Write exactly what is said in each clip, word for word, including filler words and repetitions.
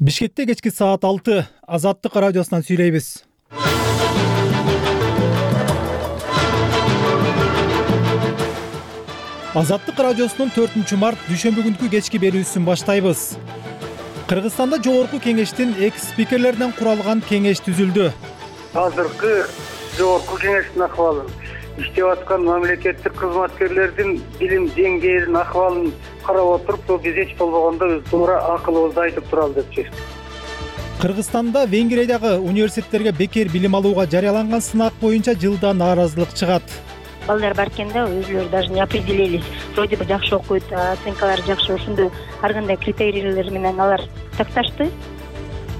Бишкекте кечки саат алты Азаттык радиосунан сүйлөйбүз. Азаттык радиосунун төртүнчү март дүйшөмбү күнкү кечки берүүсүн баштайбыз. Кыргызстанда жогорку кеңештин экс спикерлеринен куралган кеңеш түзүлдү. Азыркы жогорку кеңештин акыбалын, иштеп аткан мамлекеттик кызматкерлердин билим деңгээлинин акыбалын карап отуруп, биз эч болбогондо туура акылыбызды айтып туралы деп чечтик. Кыргызстанда Венгриядагы университеттерге бекер билим алууга жарыяланган сынак боюнча жылда нааразылык чыгат. Балдар баркенде өзүлөрү даже не определились. Вроде бы жакшы окуйт, оценкалары жакшы, ошондой ар кандай критерийлер менен алар такташты.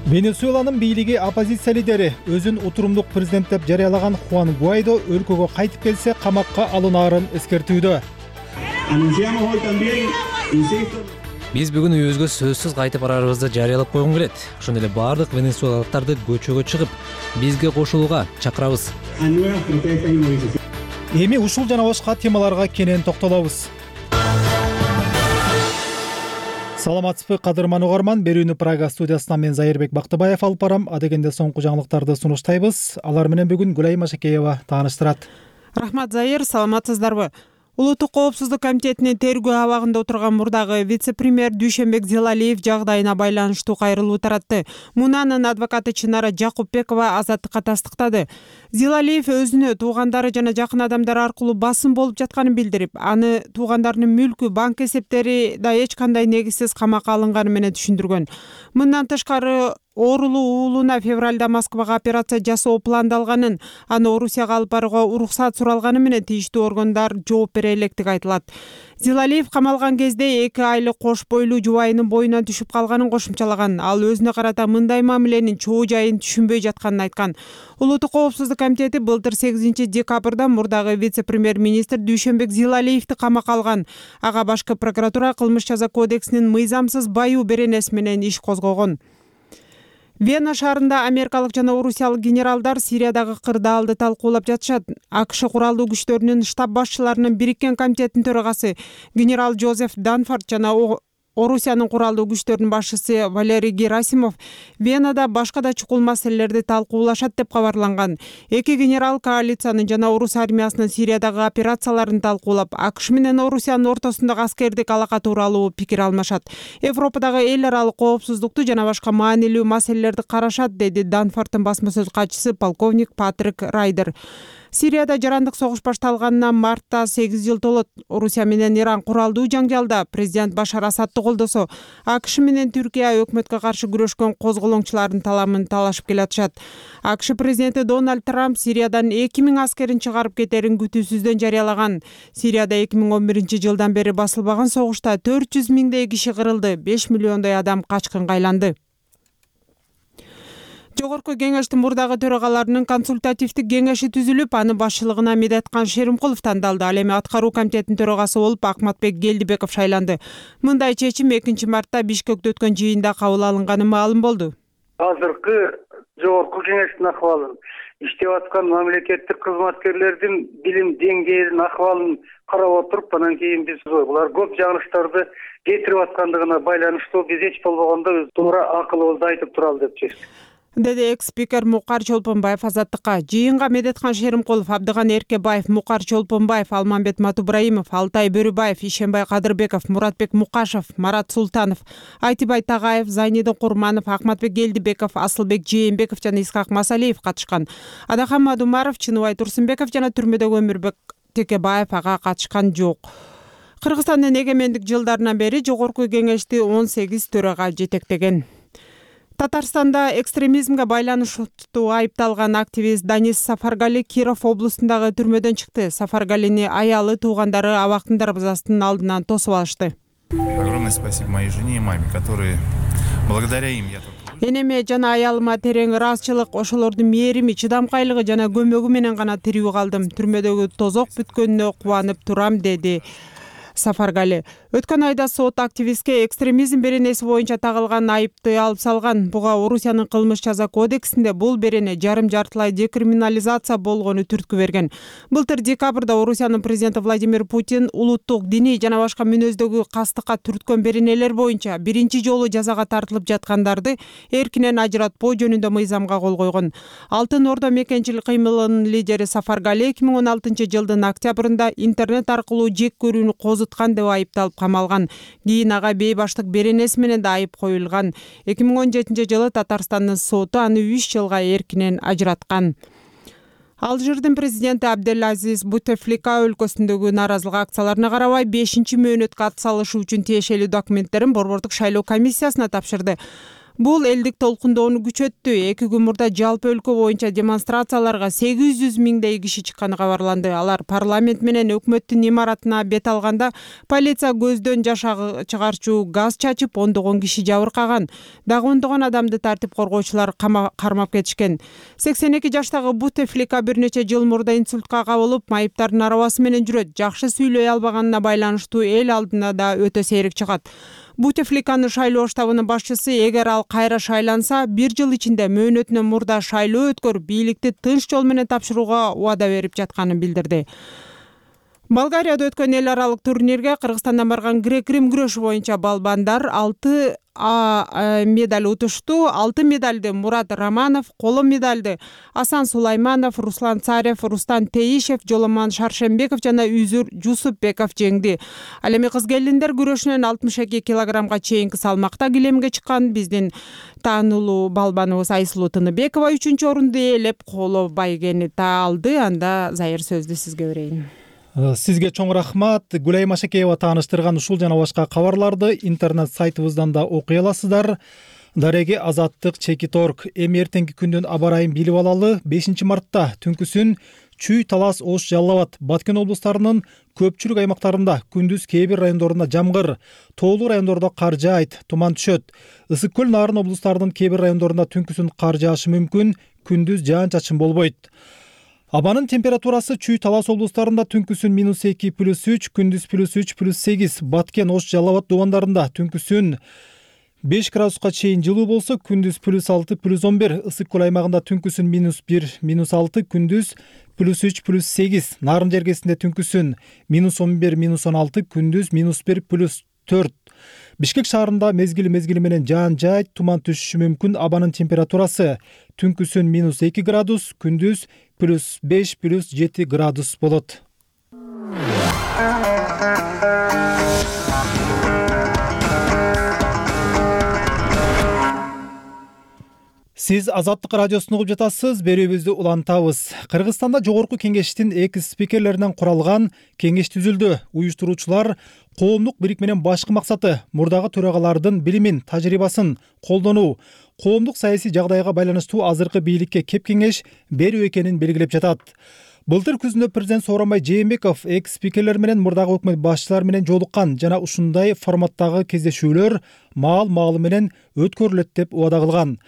Венесуэланын бийлиги оппозиция лидери өзүн утурумдук президент деп жарыялаган Хуан Гуайдо өлкөгө кайтып келсе камакка алынаарын эскертүүдө. Биз бүгүн үйүбүзгө сөзсүз кайтып барарыбызды жарыялап койгум келет. Ошондой эле баардык венесуэлалыктарды көчөгө чыгып, бизге кошулууга чакырабыз. Эми ушул жана башка темаларга кенен токтолобуз. Саламатсызбы, кадырман угарман. Берүүнү Прага студиясынан мен Зайырбек Бактыбаев алып барам. Адегенде соңку жаңылыктарды сунуштайбыз. Алар менен бүгүн Гүлай Машакеева тааныштырат. Рахмат, Зайыр, саламатсыздарбы? Улуттук коопсуздук комитетинин тергөө абагында отурган мурдагы вице-премьер Дүйшөнбек Зилалиев жагдайына байланыштуу кайрылуу таратты. Мунанын адвокаты Чынара Жакупбекова Азаттыкка тастыктады. Зилалиев өзүнө туугандары жана жакын адамдар аркылуу басым болуп жатканын билдирип, аны туугандарынын мүлкү, банк эсептери да эч кандай негизсиз камакка алынганы менен түшүндүргөн. Мындан тышкары оорулуу уулуна февралда Москвага операция жасоо пландалганын, аны Орусияга алып барууга уруксат суралганы менен тийиштүү органдар жооп бере электиги айтылат. Зилалиев камалган кезде эки айлык кош бойлуу жубайынын боюнан түшүп калганын кошумчалаган. Ал өзүнө карата мындай мамиленин чоо жайын түшүнбөй жатканын айткан. Улуттук коопсуздук комитети былтыр сегизинчи декабрда мурдагы вице-премьер-министр Дүйшөнбек Зилалиевди камакка алган. Ага башкы прокуратура кылмыш жаза кодексинин мыйзамсыз баюу беренеси менен иш козгогон. Вена шаарында америкалык жана орусиялык генералдар Сириядагы кырдаалды талкуулап жатышат. АКШ куралдуу күчтөрүнүн штаб башчыларынын бириккен комитетинин төрагасы генерал Джозеф Данфорд жана Орусиянын куралдуу күчтөрүнүн башчысы Валерий Герасимов Венада башка да чукул маселелерди талкуулашат деп кабарланган. Эки генерал коалициянын жана орус армиясынын Сириядагы операцияларын талкуулап, АКШ менен Орусиянын ортосундагы аскердик алака тууралуу пикир алмашат. Европадагы эл аралык коопсуздукту жана башка маанилүү маселелерди карашат, деди Данфордтун басма сөз катчысы полковник Патрик Райдер. Сирияда жарандык согуш башталганына мартта сегиз жыл толот. Орусия менен Иран куралдуу жаңжалда президент Башар Асадты колдосо, АКШ менен Түркия өкмөткө каршы күрөшкөн козголоңчулардын таламын талашып келатышат. АКШ президенти Дональд Трамп Сириядан эки миң аскерин чыгарып кетерин күтүүсүздөн жарыялаган. Сирияда эки миң он биринчи жылдан бери басылбаган согушта төрт жүз миңдей киши кырылды, беш миллиондой адам качкынга айланды. Жогорку кеңештин мурдагы төрагаларынын консультативдик кеңеши түзүлүп, аны башчылыгына Медеткан Шеримкулов тандалды. Ал эми аткаруу комитетинин төрагасы болуп Акматбек Келдибеков шайланды. Мындай чечим экинчи мартта Бишкекте өткөн жыйында кабыл алынганы маалым болду. Азыркы жогорку кеңештин акыбалын, иштеп аткан мамлекеттик кызматкерлердин билим деңгээлинин акыбалын карап отуруп, анан кийин биз булар көп жаңылыштарды кетирип аткандыгына байланыштуу биз эч болбогондо туура акылыбызды айтып туралы деп чечтик, деди экс-спикер Мукар Чолпонбаев Азаттыкка. Жыйынга Медеткан Шеримкулов, Абдыган Эркебаев, Мукар Чолпонбаев, Алмамбет Матубраимов, Алтай Бөрүбаев, Ишенбай Кадырбеков, Муратбек Мукашев, Марат Султанов, Айтибай Тагаев, Зайнидин Курманов, Акматбек Келдибеков, Асылбек Жээнбеков жана Исхак Масалиев катышкан. Адахан Мадумаров, Чыныбай Турсунбеков жана түрмөдөгү Өмүрбек Текебаев ага катышкан жок. Кыргызстандын эгемендик жылдарынан бери жогорку кеңешти он сегиз төрага жетектеген. Татарстанда экстремизмге байланыштуу айыпталган активист Данис Сафаргали Киров облусундагы түрмөдөн чыкты. Сафаргалини аялы, туугандары абактын дарбазасынын алдынан тосуп алышты. Огромное спасибо моей жене и маме, которые благодаря им я тут. Энеме жана аялыма терең ыраазычылык, ошолордун мээрими, чыдамкайлыгы жана көмөгү менен гана тирүү калдым. Түрмөдөгү тозок бүткөнүнө кубанып турам, деди Сафаргали. Өткөн айда сот активистке экстремизм беренеси боюнча тагылган айыпты алып салган. Буга Орусиянын кылмыш жаза кодексинде бул берене жарым-жартылай декриминализация болгону түрткү берген. Былтыр декабрда Орусиянын президенти Владимир Путин улуттук, диний жана башка мүнөздөгү кастыкка түрткөн беренелер боюнча биринчи жолу жазага тартылып жаткандарды эркинен ажыратпоо жөнүндө мыйзамга кол койгон. Алтын Ордо мекенчилик кыймылынын лидери Сафаргали эки миң он алтынчы жылдын октябрында интернет аркылуу жек көрүүнү козуткан деп айыпталып камалган. Кийин ага бейбаштык беренеси менен да айып коюлган. эки миң он жетинчи жылы Татарстандын соту аны үч жылга эркинен ажыраткан. Алжирдин президенти Абделазиз Бутефлика өлкөсүндөгү нааразылык акцияларына карабай бешинчи мөөнөткө ат салышы үчүн тиешелүү документтерин борбордук шайлоо комиссиясына тапшырды. Бул элдик толкундоону күчөттү. Эки күн мурда жалпы өлкө боюнча демонстрацияларга сегиз жүз миңдей киши чыкканы кабарланды. Алар парламент менен өкмөттүн имаратына бет алганда полиция көздөн жаш чыгарчу газ чачып, ондогон киши жабыркаган. Дагы ондогон адамды тартип коргоочулар кармап кетишкен. сексен эки жаштагы Бутефлика бир нече жыл мурда инсультка кабылып, майыптардын арабасы менен жүрөт. Жакшы сүйлөй албаганына байланыштуу эл алдына да өтө сейрек чыгат. Бутефликанын шайлоо штабынын башчысы эгер ал кайра шайланса, бир жыл ичинде мөөнөтүнөн мурда шайлоо өткөрүп, бийликти тынч жол менен тапшырууга убада берип жатканын билдирди. Болгарияда өткөн эл аралык турнирге Кыргызстандан барган грек-рим күрөшү боюнча балбандар алты медаль утушту. Алтын медальды Мурат Романов, коло медальды Асан Сулайманов, Руслан Царев, Рустан Теишев, Жоломон Шаршембеков жана Үзүр Жусупбеков жеңди. Ал эми кыз келиндер күрөшүнөн алтымыш эки килограммга чейинки салмакта килемге чыккан биздин таанылуу балбаныбыз Айсулуу Тыныбекова үчүнчү орунду ээлеп, коло байгени алды. Анда Зайыр сөздү сизге берейин. Сизге чоң рахмат. Гүлай Машакеева тааныштырган ушул жана башка кабарларды интернет сайтыбыздан да окуй аласыздар. Дареги Азаттык Чекит точка орг. Эми эртеңки күндүн аба ырайын билип алалы. бешинчи мартта түнкүсүн Чүй, Талас, Ош, Жалал Абад, Баткен облустарынын көпчүлүк аймактарында күндүз кээ бир райондорунда жамгыр, тоолуу райондордо кар жаайт, туман түшөт. Ысык көл, Нарын облустарынын кээ бир райондорунда түнкүсүн кар жаашы мүмкүн, күндүз жаан-чачын болбойт. Абанын температурасы Чүй, Талас облустарында түнкүсүн минус эки плюс үч, күндүз плюс үч плюс сегиз, Баткен, Ош, Жалал Абад дубандарында түнкүсүн беш градуска чейин жылуу болсо, күндүз плюс алты плюс он бир, ысык көл аймагында түнкүсүн минус бир минус алты, күндүз плюс үч плюс сегиз, Нарын жергесинде түнкүсүн минус он бир минус он алты, күндүз минус бир плюс төрт. Бишкек шаарында мезгили мезгили менен жаан жаайт, туман түшүшү мүмкүн. Абанын температурасы түнкүсүн минус эки градус, күндүз плюс беш плюс жети градус болот. Сиз Азаттык радиосун угуп жатасыз, берүүбүздү улантабыз. Кыргызстанда жогорку кеңештин экс спикерлеринен куралган кеңеш түзүлдү. Уюштуруучулар коомдук бирикменин башкы максаты мурдагы төрагалардын билимин, тажрыйбасын колдонуу, коомдук саясий жагдайга байланыштуу азыркы бийликке кеп кеңеш берүү экенин белгилеп жатат. Былтыр күзүндө президент Сооронбай Жээнбеков экс спикерлер менен мурдагы өкмөт башчылары менен жолуккан жана ушундай форматтагы кездешүүлөр маал-маалы менен өткөрүлөт деп убада кылган.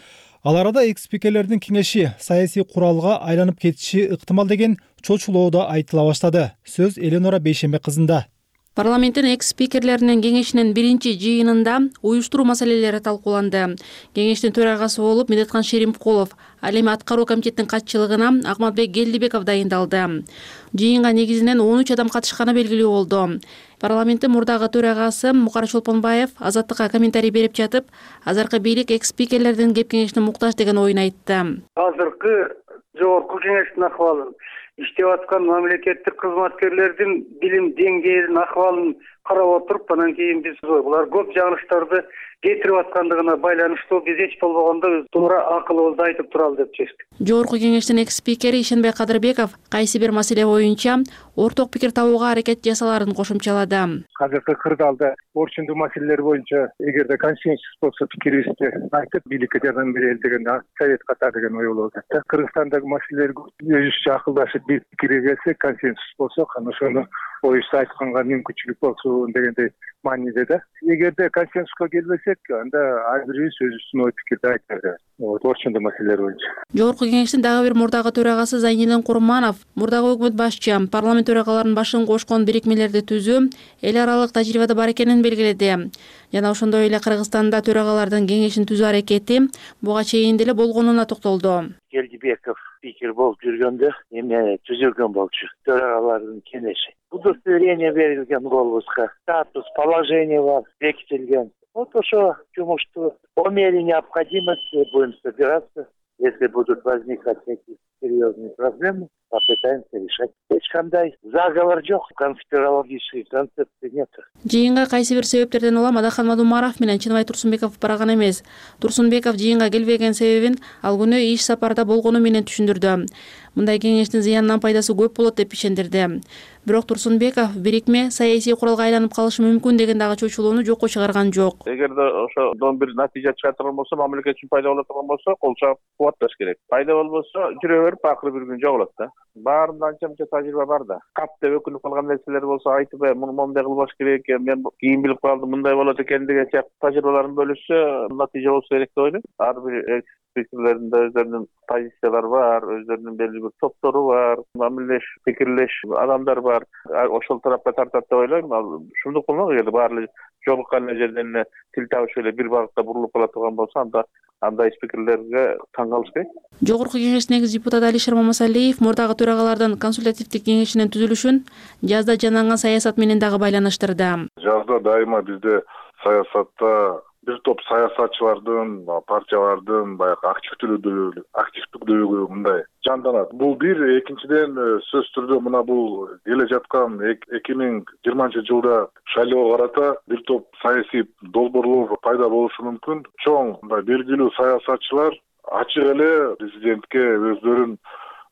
Ал арада экс спикерлердин кеңеши саясий куралга айланып кетиши ыктымал деген чочулоо да айтыла баштады. Сөз Эленора Бейшембек кызында. Парламенттин экс спикерлеринин кеңешинин биринчи жыйынында уюштуруу маселелери талкууланды. Кеңештин төрагасы болуп Медеткан Шеримкулов, ал эми аткаруу комитеттин катчылыгына Акматбек Келдибеков дайындалды. Жыйынга негизинен он үч адам катышканы белгилүү болду. Парламенттин мурдагы төрагасы Мукар Чолпонбаев Азаттыкка комментарий берип жатып, азыркы бийлик экс спикерлердин кеп кеңешине муктаж деген оюн айтты. Азыркы жогорку кеңештин акыбалын, иштеп аткан мамлекеттик кызматкерлердин билим деңгээлинин акыбалын карап отуруп, анан кийин биз булар көп жагылыштарды кетирип аткандыгына байланыштуу биз эч болбогондо туура акылыбызды айтып туралы деп чечтик. Жогорку кеңештин экс спикери Ишенбек Кадырбеков кайсы бир маселе боюнча орток пикир табууга аракет жасаларын кошумчалады. Азыркы кырдаалда орчундуу маселелер боюнча эгерде консенсус болсо пикирибизди айтып, бийликке жардам берели деген совет ката деген ой болуп атат. Кыргызстандагы маселелер өзүбүзчө акылдашып бир пикирге келсек, консенсус болсо, ошону оюбузду айтканга мүмкүнчүлүк болсун дегендей мааниде да. Эгерде консенсуска келбесек, анда ар бирибиз өзүбүздүн ой пикирди айталы. Вот ошондой маселелер боюнча. Жогорку кеңештин дагы бир мурдагы төрагасы Зайнидин Курманов мурдагы өкмөт башчы парламент төрагаларынын башын кошкон бирикмелерди түзүү эл аралык тажрыйбада бар экенин белгиледи. Жана ошондой эле Кыргызстанда төрагалардын кеңешин түзүү аракети буга чейин деле болгонуна токтолду. Келдибеков спикер болуп жүргөндө эме түзүлгөн болчу төрагалардын кеңеши. Удостоверение берилген голубузга, статус, положение бар, бекитилген. Вот ошо жумушту по мере необходимости будем собираться. Если будут возникать какие-то серьезные проблемы, попытаемся решать. Эч кандай заговор жок, конспирологической концепции нет. Жыйынга кайсы бир себептерден улам Адахан Мадумаров менен Чыныбай Турсунбеков барган эмес. Турсунбеков жыйынга келбеген себебин ал күнү иш сапарда болгону менен түшүндүрдү. Мындай кеңештин зыянынан пайдасы көп болот деп ишендирди. Бирок Турсунбеков бирикме саясий куралга айланып калышы мүмкүн деген дагы чочулууну жокко чыгарган жок. Эгерде ошодон бир натыйжа чыга турган болсо, мамлекет үчүн пайда боло турган болсо, кол чабып кубатташ керек. Пайда болбосо жүрө берип акыры бир күн жоголот да. Баарында анча-мынча тажрыйба бар да. Кап деп өкүнүп калган нерселер болсо айтып, муну моундай кылбаш керек экен, мен кийин билип калдым, мындай болот экен деген сыяктуу тажрыйбаларын бөлүшсө, натыйжа болсо керек деп ойлойм. Ар бир спикерлеринде өздөрүнүн позициялары бар, өздөрүнүн белгилүү бир топтору бар, мамилеш, пикирлеш адамдар бар. Ошол тарапка тартат деп ойлойм. Ал ушундук болмок, эгерде баары жолуккан жерден эле тил табышып эле бир багытта бурулуп кала турган болсо, анда андай спикерлерге таң калыш керек. Жогорку кеңештин негиз депутаты Алишер Мамасалиев мурдагы төрагалардын консультативдик кеңешинин түзүлүшүн жазда жанаган саясат менен дагы байланыштырды. Жазда дайыма бизде саясатта бир топ саясатчылардын, партиялардын баягы активдүүлүгү, активдүүлүгү мындай жанданат. Бул бир, экинчиден сөзсүз түрдө мына бул келе жаткан эки миң жыйырманчы жылда шайлоого карата бир топ саясий долбоорлор пайда болушу мүмкүн. Чоң мындай белгилүү саясатчылар ачык эле президентке өздөрүнүн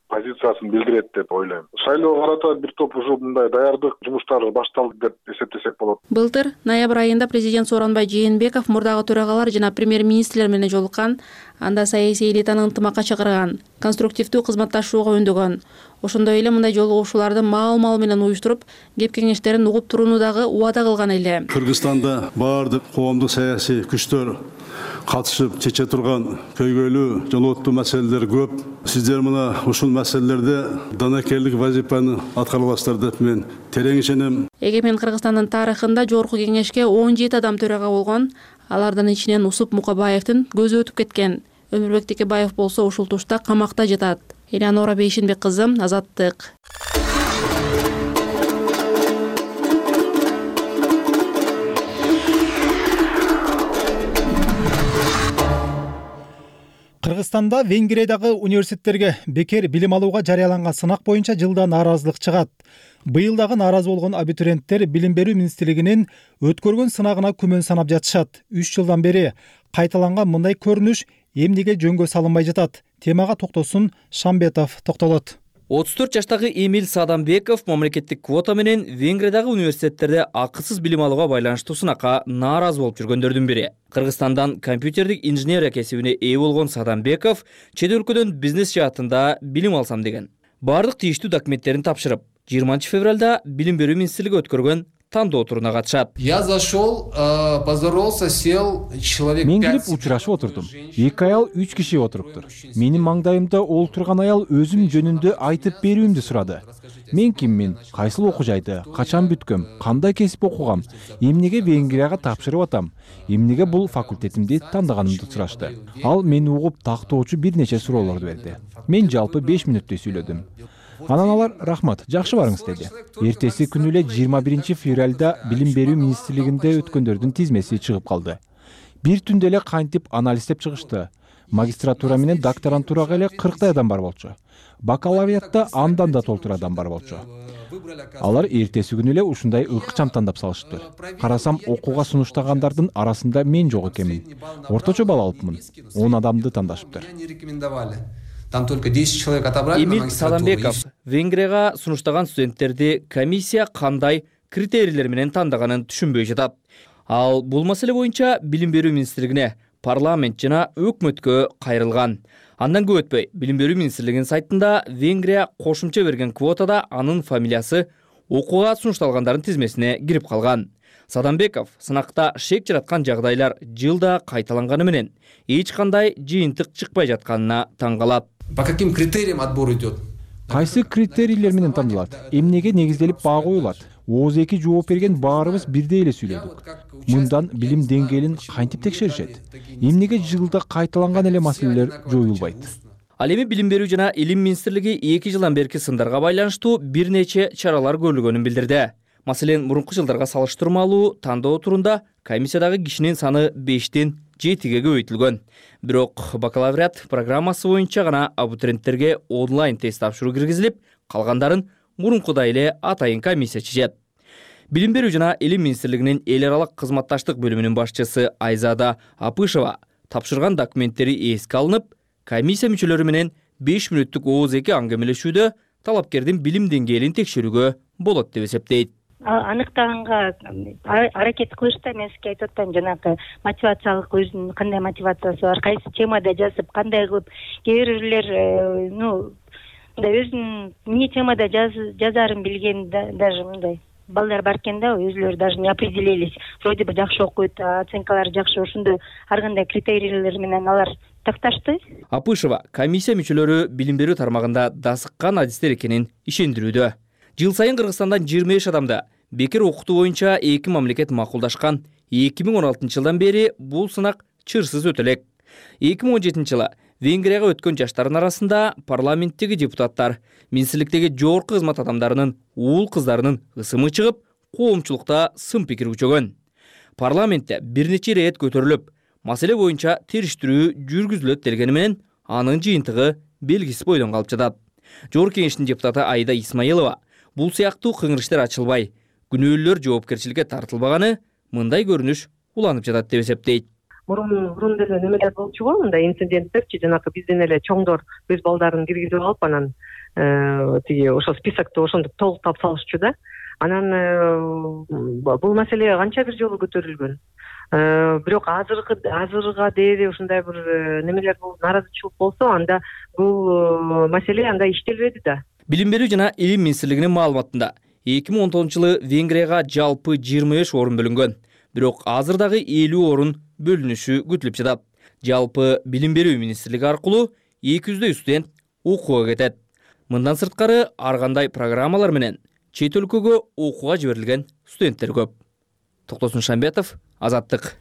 позициясын билдирет деп ойлойм. Шайлоого карата бир топ ушул мындай даярдык жумуштары башталды деп эсептесек болот. Былтыр ноябрь айында президент Сооронбай Жээнбеков мурдагы төрагалар жана премьер-министрлер менен жолуккан, анда саясий элитаны ынтымакка чакырган, конструктивдүү кызматташууга үндөгөн. Ошондой эле мындай жолугушууларды маал-мал менен уюштуруп, кеп кеңештерин угуп турууну дагы убада кылган эле. Кыргызстанда баардык коомдук саясий күчтөр катышып чече турган көйгөйлүү, жолооттуу маселелер көп. Сиздер мына ушул маселелерде данакерлик вазифаны аткара аласыздар деп мен терең ишенем. Эгемен Кыргызстандын тарыхында жогорку кеңешке он жети адам төрага болгон. Алардын ичинен Усуп Мукабаевдин көзү өтүп кеткен. Өмүрбек Текебаев болсо ушул тушта камакта жатат. Элеонора Бейшенбек кызы, Азаттык. Кыргызстанда Венгриядагы университеттерге бекер билим алууга жарыяланган сынак боюнча жылда нааразылык чыгат. Быйыл дагы нааразы болгон абитуриенттер билим берүү министрлигинин өткөргөн сынагына күмөн санап жатышат. үч жылдан бери кайталанган мындай көрүнүш эмнеге жөнгө салынбай жатат? Темага токтосун Шамбетов токтолот. отуз төрт жаштагы Эмил Садамбеков мамлекеттик квота менен Венгриядагы университеттерде акысыз билим алууга байланыштуу сынакка нааразы болуп жүргөндөрдүн бири. Кыргызстандан компьютердик инженерия кесибине ээ болгон Садамбеков чет өлкөдөн бизнес жаатында билим алсам деген. Бардык тийиштүү документтерин тапшырып, жыйырманчы февралда билим берүү министрлиги өткөргөн тандоо туруна катышат. Я зашел, поздоровался, сел, человек Мен кирип учурашып отурдум. Эки аял үч киши отуруптур. Менин маңдайымда ол турган аял өзүм жөнүндө айтып берүүмдү сурады. Мен киммин, кайсыл окуу жайды, качан бүткөм, кандай кесип окугам, эмнеге Венгрияга тапшырып атам, эмнеге бул факультетимди тандаганымды сурашты. Ал мени угуп тактоочу бир нече суроолорду берди. Мен жалпы беш мүнөттөй сүйлөдүм. Анан алар рахмат, жакшы барыңыз деди. Эртеси күнү эле жыйырма биринчи февралда билим берүү министрлигинде өткөндөрдүн тизмеси чыгып калды. Бир түндө эле кантип анализдеп чыгышты. Магистратура менен докторантурага эле кырктай адам бар болчу. Бакалавриатта андан да толтур адам бар болчу. Алар эртеси күнү эле ушундай ыкчам тандап салышты. Карасам, окууга сунуштагандардын арасында мен жок экенмин. Орточо балл алыпмын. он адамды тандашыптыр. Там только десять человек отобрали. Эмил Садамбеков Венгрияга сунуштаган студенттерди комиссия кандай критерийлер менен тандаганын түшүнбөй жатат. Ал бул маселе боюнча билим берүү министрлигине, парламент жана өкмөткө кайрылган. Андан көп өтпөй, билим берүү министрлигинин сайтында Венгрия кошумча берген квотада анын фамилиясы окууга сунушталгандардын тизмесине кирип калган. Садамбеков сынакта шек жараткан жагдайлар жылда кайталанганы менен эч кандай жыйынтык чыкпай жатканына таң калат. По каким критериям отбор идет? Кайсы критерийлер менен тандалат? Эмнеге негизделип баа коюлат? Ооз эки жооп берген баарыбыз бирдей эле сүйлөдүк. Мындан билим деңгээлин кантип текшеришет? Эмнеге жылда кайталанган эле маселелер жоюлбайт? Ал эми Билим берүү жана Илим министрлиги эки жылдан берки сындарга байланыштуу бир нече чаралар көрүлгөнүн билдирди. Маселен, мурунку жылдарга салыштырмалуу тандоо турунда комиссиядагы кишинин саны бештен жетиге көбөйтүлгөн. Бирок бакалавриат программасы боюнча гана абитуриенттерге онлайн тест тапшыруу киргизилип, калгандарын мурункудай эле атайын комиссия чечет. Билим берүү жана Илим министрлигинин эл аралык кызматташтык бөлүмүнүн башчысы Айзада Апышева тапшырган документтери эске алынып, комиссия мүчөлөрү менен беш мүнөттүк ооз эки аңгемелешүүдө талапкердин билим деңгээлин текшерүүгө болот деп эсептейт. Аныктаганга аракет кылышта мен сизге айтып атпаймынбы, жанагы мотивациялык өзүнүн кандай мотивациясы бар, кайсы темада жазып, кандай кылып, кээ бирлер ну мындай өзүнүн эмне темада жазаарын билген даже мындай балдар бар экен да, өзүлөрү даже не определились. Вроде бы жакшы окуйт, оценкалары жакшы, ошондой ар кандай критерийлер менен алар такташты. Апышева комиссия мүчөлөрү билим берүү тармагында дасыккан адистер экенин ишендирүүдө. Жыл сайын Кыргызстандан жыйырма беш адамда бекер окутуу боюнча эки мамлекет макулдашкан. эки миң он алтынчы жылдан бери бул сынак чырсыз өтө элек. эки миң он жетинчи жылы Венгрияга өткөн жаштардын арасында парламенттеги депутаттар, министрликтеги жогорку кызмат адамдарынын уул кыздарынын ысымы чыгып, коомчулукта сын пикир күчөгөн. Парламентте бир нече ирет көтөрүлүп, маселе боюнча териштирүү жүргүзүлөт делгени менен анын жыйынтыгы белгисиз бойдон калып жатат. Жогорку кеңештин депутаты Айда Исмаилова бул сыяктуу кыңыр ачылбай, күнөөлөр жоопкерчиликке тартылбаганы мындай көрүнүш уланып жатат деп эсептейт. Мурун мурун деле немелер болчу, мындай инциденттерчи, жанагы бизден эле чоңдор өз балдарын киргизип алып, анан тиги ошол списокто ошондуп толуктап салышчу да. Анан бул маселе канча бир жолу көтөрүлгөн. Бирок азыркы азырга дээри ушундай бир немелер болуп, нааразычылык болсо, анда бул маселе анда иштелбеди да. Билим берүү жана Илим министрлигинин маалыматында эки миң он тогузунчу жылы Венгрияга жалпы жыйырма беш орун бөлүнгөн. Бирок азыр дагы элүү орун бөлүнүшү күтүлүп жатат. Жалпы билим берүү министрлиги аркылуу эки жүздөй студент окууга кетет. Мындан сырткары ар кандай программалар менен чет өлкөгө окууга жиберилген студенттер көп. Токтосун Шамбетов, Азаттык.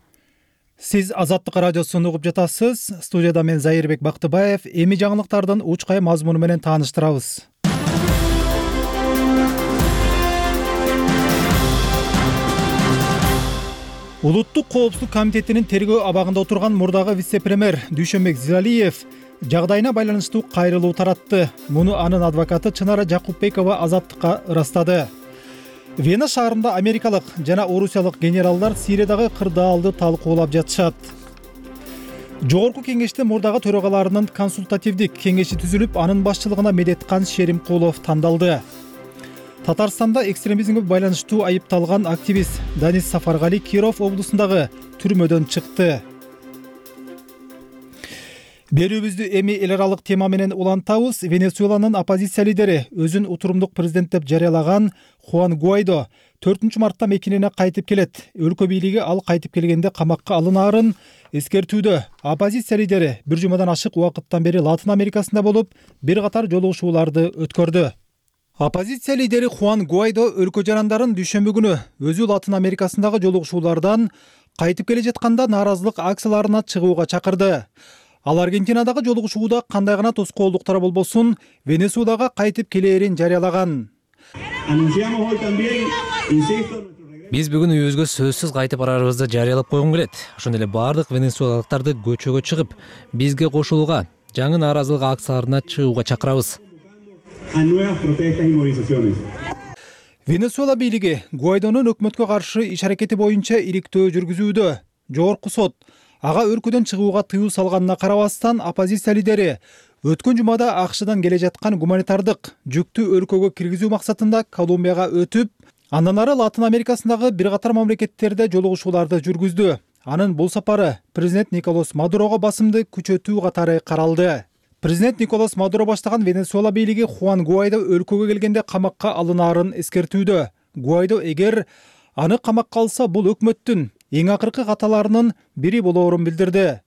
Сиз Азаттык радиосун угуп жатасыз. Студияда мен Зайырбек Бактыбаев. Эми жаңылыктардын учкай мазмуну менен тааныштырабыз. Улуттук коопсуздук комитетинин тергөө абагында отурган мурдагы вице-премьер Дүйшөнбек Зилалиев жагдайына байланыштуу кайрылуу таратты. Муну анын адвокаты Чынара Жакупбекова Азаттыкка ырастады. Вена шаарында америкалык жана орусиялык генералдар Сириядагы кырдаалды талкуулап жатышат. Жогорку кеңеште мурдагы төрагаларынын консультативдик кеңеши түзүлүп, анын башчылыгына Медеткан Шеримкулов тандалды. Татарстанда экстремизмге байланыштуу айыпталган активист Данис Сафаргали Киров облусундагы түрмөдөн чыкты. Берүүбүздү эми эл аралык тема менен улантабыз. Венесуэланын оппозиция лидери, өзүн утурумдук президент деп жарыялаган Хуан Гуайдо төртүнчү мартта мекенине кайтып келет. Өлкө бийлиги ал кайтып келгенде камакка алынаарын эскертүүдө. Оппозиция лидери бир жумадан ашык убакыттан бери Латын Америкасында болуп, бир катар жолугушууларды өткөрдү. Оппозиция лидери Хуан Гуайдо өлкө жарандарын дүйшөмбү күнү өзү Латын Америкасындагы жолугушуулардан кайтып келе жатканда нааразылык акцияларына чыгууга чакырды. Ал Аргентинадагы жолугушууда кандай гана тоскоолдуктар болбосун, Венесуэлага кайтып келээрин жарыялаган. Биз бүгүн үйүбүзгө сөзсүз кайтып барарыбызды жарыялап койгум келет. Ошондой эле бардык венесуэлалыктарды көчөгө чыгып, бизге кошулууга, жаңы нааразылык акцияларына чыгууга чакырабыз. Венесуэла бийлиги Гуайдонун өкмөткө каршы иш аракети боюнча иликтөө жүргүзүүдө. Жогорку сот ага өлкөдөн чыгууга тыюу салганына карабастан, оппозиция лидери өткөн жумада АКШдан келе жаткан гуманитардык жүктү өлкөгө киргизүү максатында Колумбияга өтүп, андан ары Латын Америкасындагы бир катар мамлекеттерде жолугушууларды жүргүздү. Анын бул сапары президент Николас Мадурого басымды күчөтүү катары каралды. Президент Николас Мадуро баштаган Венесуэла бийлиги Хуан Гуайдо өлкөгө келгенде камакка алынаарын эскертүүдө. Гуайдо эгер аны камакка алса, бул өкмөттүн эң акыркы каталарынын бири болоорун билдирди.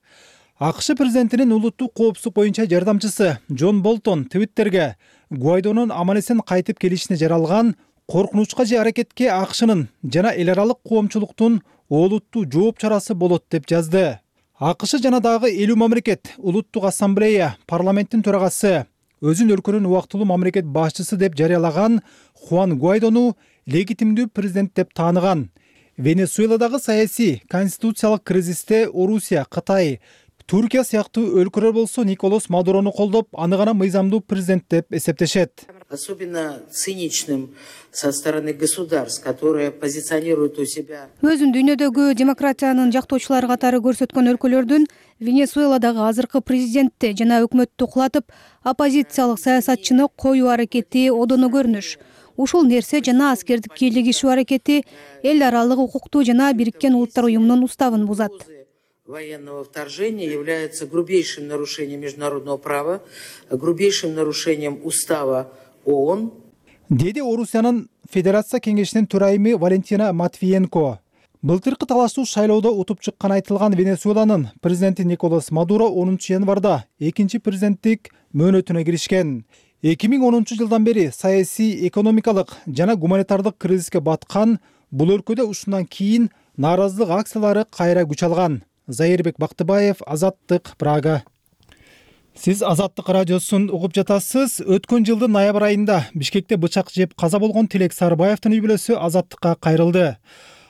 АКШ президентинин улуттук коопсуздук боюнча жардамчысы Джон Болтон Твиттерге Гуайдонун аман-эсен кайтып келишине жаралган коркунучка же аракетке АКШнын жана эл аралык коомчулуктун олуттуу жооп чарасы болот деп жазды. АКШ жана дагы элүү мамлекет Улуттук ассамблея парламенттин төрагасы өзүн өлкөнүн убактылуу мамлекет башчысы деп жарыялаган Хуан Гуайдону легитимдүү президент деп тааныган. Венесуэладагы саясий конституциялык кризисте Орусия, Кытай, Туркия сыяктуу өлкөлөр болсо Николас Мадурону колдоп, аны гана мыйзамдуу президент деп эсептешет. Особенно циничным со стороны государств, которые позиционируют у себя. Өзүн дүйнөдөгү демократиянын жактоочулары катары көрсөткөн өлкөлөрдүн Венесуэладагы азыркы президентти жана өкмөттү кулатып, оппозициялык саясатчыны коюу аракети одоно көрүнүш. Ушул нерсе жана аскердик кийлигишүү аракети эл аралык укукту жана Бириккен Улуттар уюмунун уставын бузат. Военного вторжения является грубейшим нарушением международного права, грубейшим нарушением устава ООН. Деди Орусиянын Федерация кеңешинин төрайымы Валентина Матвиенко. Былтыркы талаштуу шайлоодо утуп чыккан айтылган Венесуэланын президенти Николас Мадуро онунчу январда экинчи президенттик мөөнөтүнө киришкен. эки миң онунчу жылдан бери саясий, экономикалык жана гуманитардык кризиске баткан бул өлкөдө ушундан кийин нааразылык акциялары кайра күч алган. Зайырбек Бактыбаев, Азаттык, Прага. Сиз Азаттык радиосун угуп жатасыз. Өткөн жылдын ноябрь айында Бишкекте бычак жеп каза болгон Тилек Сарыбаевдин үй бүлөсү Азаттыкка кайрылды.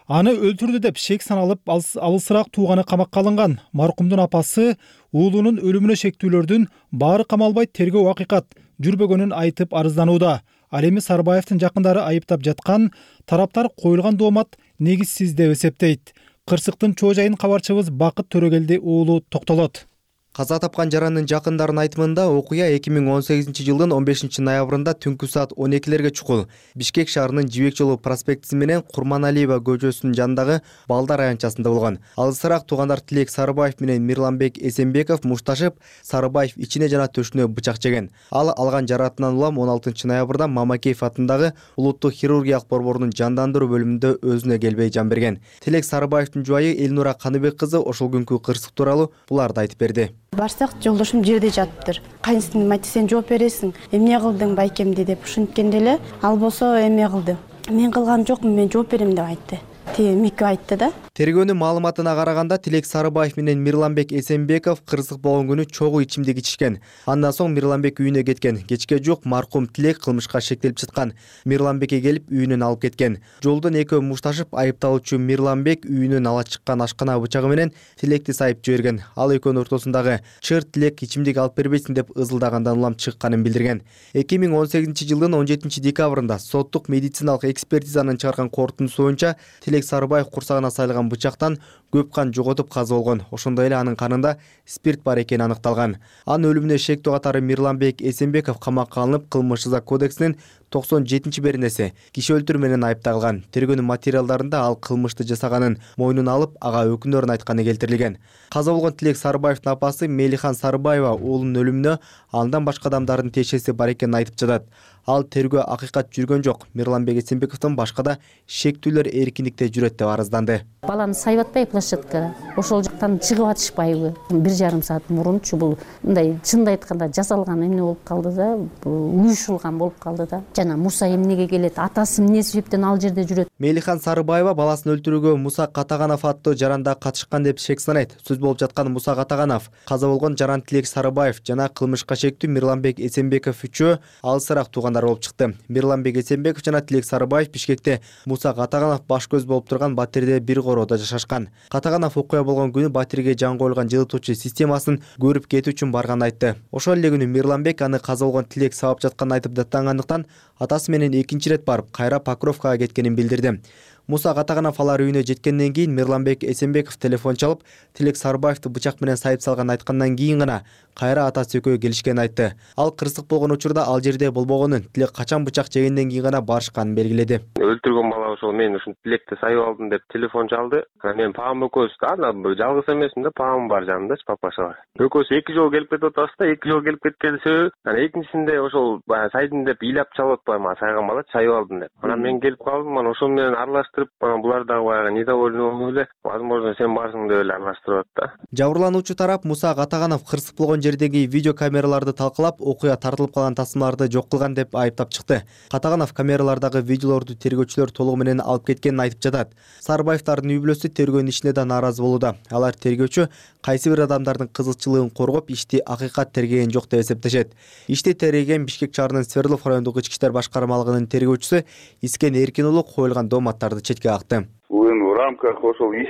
Аны өлтүрдү деп шек саналып, алысыраак тууганы камакка алынган. Маркумдун апасы уулунун өлүмүнө шектүүлөрдүн баары камалбай тергөө акыйкат жүрбөгөнүн айтып арызданууда. Ал эми Сарыбаевдин жакындары айыптап жаткан тараптар коюлган доомат негизсиз деп эсептейт. Кырсыктын чоо жайын кабарчыбыз Бакыт Төрөгелди уулу токтолот. Каза тапкан жарандын жакындарынын айтымында окуя эки миң он сегизинчи жылдын он бешинчи ноябрында түнкү саат он экилерге чукул Бишкек шаарынын Жибек жолу проспектиси менен Курманалиева көчөсүнүн жанындагы Балдар аянтчасында болгон. Алысыраак туугандар Тилек Сарыбаев менен Мирланбек Эсенбеков мушташып, Сарыбаев ичине жана төшүнө бычак жеген. Ал алган жараатынан улам он алтынчы ноябрда Мамакеев атындагы Улуттук хирургиялык борборунун жандандыруу бөлүмүндө өзүнө келбей жан берген. Тилек Сарыбаевдин жубайы Элнура Каныбек кызы ошол күнкү кырсык тууралуу буларды айтып берди. Барсак жолдошум жерде жатыптыр. Кайнысың, мати сен жооп бересиң. Эмне кылдың байкемди деп ушинткенде эле ал болсо эме кылды. Мен кылган жокмун, мен жооп берем деп айтты. Тиги Микки айтты да. Тергөөнүн маалыматына караганда Тилек Сарыбаев менен Мирланбек Эсенбеков кырсык болгон күнү чогуу ичимдик ичишкен. Андан соң Мирланбек үйүнө кеткен. Кечке жук маркум Тилек кылмышка шектелип чыккан. Мирланбекке келип үйүнөн алып кеткен. Жолдон экөө мушташып, айыпталуучу Мирланбек үйүнөн ала чыккан ашкана бычагы менен Тилекти сайып жиберген. Ал экөөнүн ортосундагы чыр Тилек ичимдик алып бербейсиң деп ызылдагандан улам чыкканын билдирген. эки миң он сегизинчи жылдын он жетинчи декабрында соттук медициналык экспертизанын чыгарган корутундусу боюнча Тилек Сарыбаев курсагына сайылган бычактан көп кан жоготуп каза болгон. Ошондой эле анын канында спирт бар экени аныкталган. Анын өлүмүнө шектүү катары Мирланбек Эсенбеков камакка алынып, кылмыш жаза кодексинин токсон жетинчи беренеси киши өлтүрүү менен айыпталган. Тергөөнүн материалдарында ал кылмышты жасаганын мойнуна алып, ага өкүнөрүн айтканы келтирилген. Каза болгон Тилек Сарыбаевдин апасы Мелихан Сарыбаева уулунун өлүмүнө андан башка адамдардын тиешеси бар экенин айтып жатат. Ал тергөө акыйкат жүргөн жок. Мирланбек Эсенбековдон башка да шектүүлөр эркиндикте жүрөт деп арызданды. Баланы сайып атпай площадкада, ошол жактан чыгып атышпайбы? бир жарым саат мурунчу бул мындай чынды айтканда жасалган эмне болуп калды да, уюшулган болуп калды да. Жана Муса эмнеге келет? Атасы эмне себептен ал жерде жүрөт? Мелихан Сарыбаева баласын өлтүрүүгө Муса Катаганов аттуу жаранда катышкан деп шек санайт. Сөз болуп жаткан Муса Катаганов, каза болгон жаран Тилек Сарыбаев жана кылмышка шектүү Мирланбек Эсенбеков үчөө алысыраак туугандар болуп чыкты. Мирланбек Эсенбеков жана Тилек Сарыбаев Бишкекте Муса Катаганов баш көз болуп турган Батирде бир короодо жашашкан. Катаганов окуя болгон күнү Батирге жан коюлган жылытуучу системасын көрүп кетүү үчүн барганын айтты. Ошол эле күнү Мирланбек аны каза болгон Тилек сабап жатканын айтып даттангандыктан атасы менен экинчи ирет барып, кайра Покровкага кеткенин билдирди. Муса Катаганов алар үйүнө жеткенден кийин Мирланбек Эсенбеков телефон чалып, Тилек Сарыбаевди бычак менен сайып салган айткандан кийин гана кайра атасы экөө келишкенин айтты. Ал кырсык болгон учурда ал жерде болбогонун, Тилек качан бычак жегенден кийин гана барышканын белгиледи. Өлтүргөн бала ошол мен ушул Тилекти сайып алдым деп телефон чалды. Мен папам экөөбүз ана жалгыз эмесмин да, папам бар жанымдачы, папасы бар. Экөөбүз эки жолу келип кетип атабыз да, эки жолу келип кеткен себеби анан экинчисинде ошол сайдым деп ыйлап чалып атпайбы, мага сайган бала сайып алдым деп. Анан мен келип калдым, анан ошол менен аралаштырып, анан булар дагы баягы недовольный эле, возможно сен барсың деп эле аралаштырып атты. Жабырлануучу тарап Муса Катаганов кырсык болгон жердеги видео камераларды талкалап, окуя тартылып калган тасмаларды жок кылган деп айыптап чыкты. Катаганов камералардагы видеолорду тергөөчүлөр толугу менен алып кеткенин айтып жатат. Сарыбаевдардын үй бүлөсү тергөөнүн ишине да нааразы болууда. Алар тергөөчү кайсы бир адамдардын кызыкчылыгын коргоп, ишти акыйкат тергеген жок деп эсептешет. Ишти тергеген Бишкек шаарынын Свердлов райондук ички иштер башкармалыгынын тергөөчүсү Искен Эркин уулу коюлган дооматтарды четке какты. В рамках ошол иш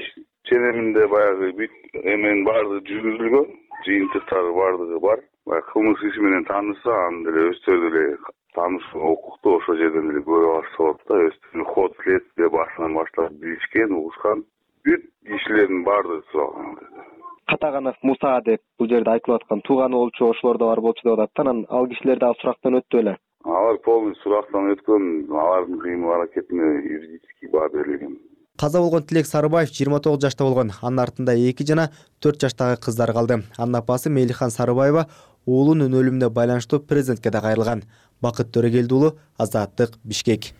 ченеминде баягы бүт эменин баардыгы жүргүзүлгөн, жыйынтыктары баардыгы бар. Кылмыш иши менен тааныша, аны деле өздөрү деле тааныш укукту ошол жерден деле көрүп алса болот да. Өздөрү ход следствие башынан баштап билишкен, угушкан. Бүт кишилердин баардыгы суралган. Катаганов Муса деп бул жерде айтылып аткан тууганы болчу, ошолор да бар болчу деп атат. Анан ал кишилер дагы сурактан өттү беле? Алар полностью сурактан өткөн, алардын кыймыл аракетине юридический баа берилген. Каза болгон Тилек Сарыбаев жыйырма тогуз жашта болгон. Анын артында эки жана төрт жаштагы кыздар калды. Анын апасы Мейлихан Сарыбаева уулунун өлүмүнө байланыштуу президентке да кайрылган. Бакыт Төрөгелди уулу, Азаттык, Бишкек.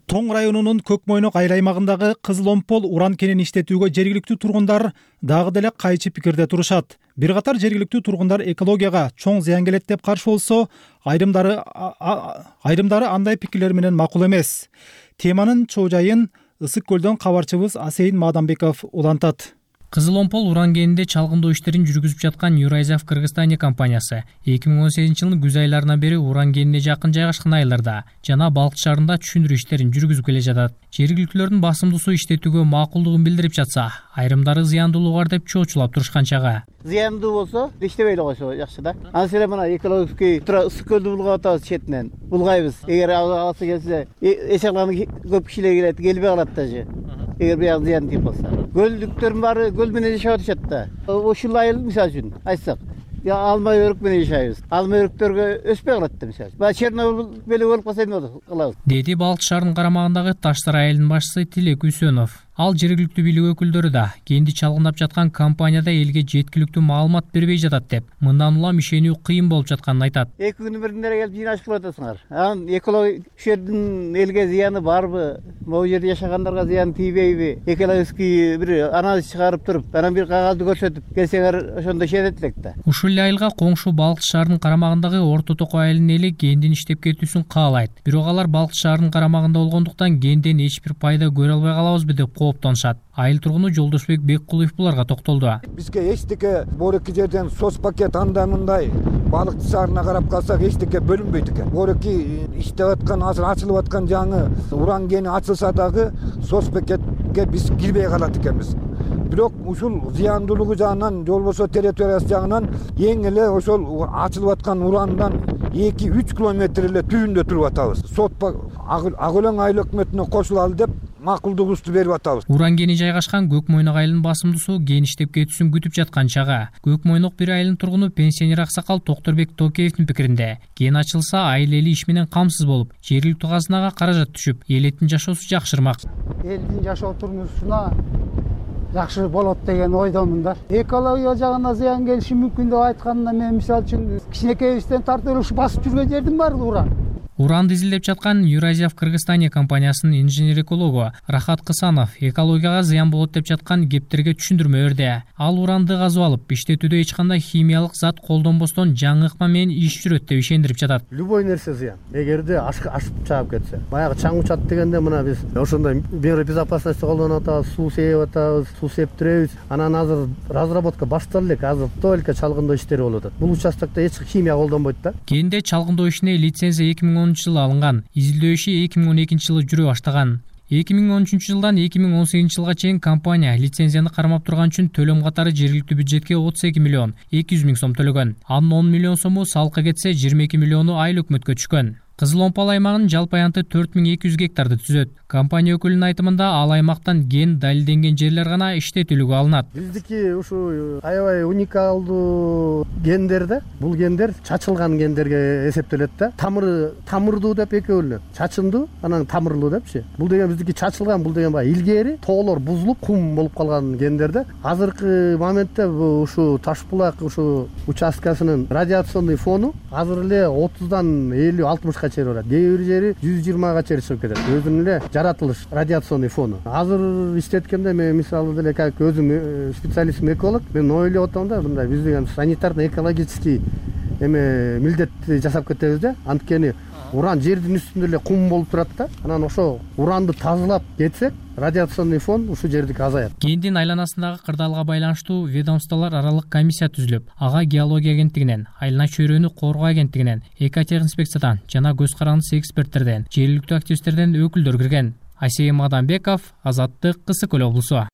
Тоң районунун Көкмойнок айыл аймагындагы Кызыл Омпол уран кенин иштетүүгө жергиликтүү тургундар дагы деле кайчы пикирде турушат. Бир катар жергиликтүү тургундар экологияга чоң зыян келет деп каршы болсо, айрымдары айрымдары андай пикирлер менен макул эмес. Теманын чоо жайын Ысык көлдөн кабарчыбыз Асейин Мадамбеков улантат. Кызыл Омпол уран кенинде чалгындоо иштерин жүргүзүп жаткан Юрайзав Кыргызстания компаниясы эки миң он сегизинчи жылдын күз айларынан бери уран кенине жакын жайгашкан айылдарда жана балык шаарында түшүндүрүү иштерин жүргүзүп келе жатат. Жергиликтүүлөрдүн басымдуусу иштетүүгө макулдугун билдирип жатса, айрымдары зыяндуулугу бар деп чоочулап турушкан чагы. Зыяндуу болсо иштебей эле койсо жакшы да. Анан мына экологический ысык көлдү булгап атабыз четинен. Булгайбыз. Эгер аласы келсе, эчаган көп кишилер келет, келбей калат даже. Эгер бияк зыян тийип калса. Көлдүктөрдүн баары көл менен жашап атышат да. Ушул айыл мисалы үчүн айтсак, я алма өрүк менен жашайбыз. Алма өрүктөргө өспөй калат да мисалы. Баягы Чернобыль беле болуп калса эмне болот? Кылабыз. Деди Балык шаарынын карамагындагы Таштар айылынын башчысы Тилек Үсөнов. Ал жергиликтүү бийлик өкүлдөрү да кенди чалгындап жаткан компанияда элге жеткиликтүү маалымат бербей жатат деп, мындан улам ишенүү кыйын болуп жатканын айтат. Эки күнүн биринде келип жыйнашып кылып атасыңар. Анан экология ушул жердин элге зыяны барбы? Могу жерде жашагандарга зыян тийбейби? Экологический бир анализ чыгарып туруп, анан бир кагазды көрсөтүп келсеңер ошондо ишенет элек да. Ушул эле айылга коңшу Балык шаарынын карамагындагы Орто Токой айылынын эли кендин иштеп кетүүсүн каалайт. Бирок алар Балык шаарынын карамагында болгондуктан кенден эч бир пайда көрө албай калабызбы деп кооптонушат. Айыл тургуну Жолдошбек Беккулуев буларга токтолду. Бизге эчтеке бореки жерден соц пакет андай мындай балык шаарына карап калсак эчтеке бөлүнбөйт экен. Бореки иштеп аткан, азыр ачылып аткан жаңы уран кени ачылса дагы соц пакетке биз кирбей калат экенбиз. Бирок ушул зыяндуулугу жагынан, болбосо территориясы жагынан эң эле ошол ачылып аткан урандан эки үч километр эле түбүндө туруп атабыз. Сот ак өлөң айыл өкмөтүнө кошулалы деп макулдугубузду берип атабыз. Уран кени жайгашкан Көкмойнок айылынын басымдуусу кен иштеп кетүүсүн күтүп жаткан чагы. Көкмойнок бир айылынын тургуну пенсионер аксакал Токторбек Токеевдин пикиринде, кен ачылса айыл эли иш менен камсыз болуп, жергиликтүү казынага каражат түшүп, элдин жашоосу жакшырмак. Элдин жашоо турмушуна жакшы болот деген ойдомун да. Экология жагына зыян келиши мүмкүн деп айтканда мен мисалы үчүн кичинекейибизден тартып эле ушу басып жүргөн жердин баардыгы уран. Уранды изилдеп жаткан Юрайзав Кыргызстания компаниясынын инженер-экологу Рахат Кысанов экологияга зыян болот деп жаткан кептерге түшүндүрмө берди. Ал уранды казып алып, иштетүүдө эч кандай химиялык зат колдонбостон жаңы ыкма менен иш жүрөт деп ишендирип жатат. Любой нерсе зыян. Эгерде ашып чаап кетсе. Баягы чаң учат дегенде мына биз ошондой мера безопасности колдонуп атабыз, суу сээп атабыз, суу септиребиз. Анан азыр разработка башталды элек, азыр только чалгындоо иштери болуп атат. Бул участокто эч химия колдонбойт да. Кенде чалгындоо ишине лицензия эки миң он жылы алынган. Изилдөө иши эки миң он экинчи жылы жүрө баштаган. эки миң он үчүнчү жылдан эки миң он сегизинчи жылга чейин компания лицензияны кармап турган үчүн төлөм катары жергиликтүү бюджетке отуз эки миллион эки жүз миң сом төлөгөн. Анын он миллион сому салыкка кетсе, жыйырма эки миллиону айыл өкмөткө түшкөн. Кызыл Омпал аймагынын жалпы аянты төрт миң эки жүз гектарды түзөт. Компания өкүлүнүн айтымында ал аймактан ген далилденген жерлер гана иштетүүлүгө алынат. Биздики ушу аябай уникалдуу гендер да. Бул гендер чачылган гендерге эсептелет да. Тамыры тамырдуу деп эки бөлүнөт. Чачындуу, анан тамырлуу депчи. Бул деген биздики чачылган, бул деген баягы илгери тоолор бузулуп, кум болуп калган гендер да. Азыркы моментте ушу Таш булак ушу участкасынын радиационный фону азыр эле отуздан элүү алтымышка чейин барат. Кээ бир жери жүз жыйырмага чейин чыгып кетет. Өзүнүн эле жаратылыш радиационный фону. Азыр иштеткенде мен мисалы деле как өзүм специалист эколог, мен ойлоп атам да, мындай биз деген санитарно экологический эме милдет жасап кетебиз да. Анткени уран жердин үстүндө эле кум болуп турат да. Анан ошо уранды тазалап кетсек, радиационный фон ушул жердики азаят. Кендин айланасындагы кырдаалга байланыштуу ведомстволор аралык комиссия түзүлүп, ага геология агенттигинен, айлана чөйрөнү коргоо агенттигинен, экотехинспекциядан жана көз карандысы эксперттерден, жергиликтүү активисттерден өкүлдөр кирген. Айсейим Мадамбеков, Азаттык, Кысык Көл облусу.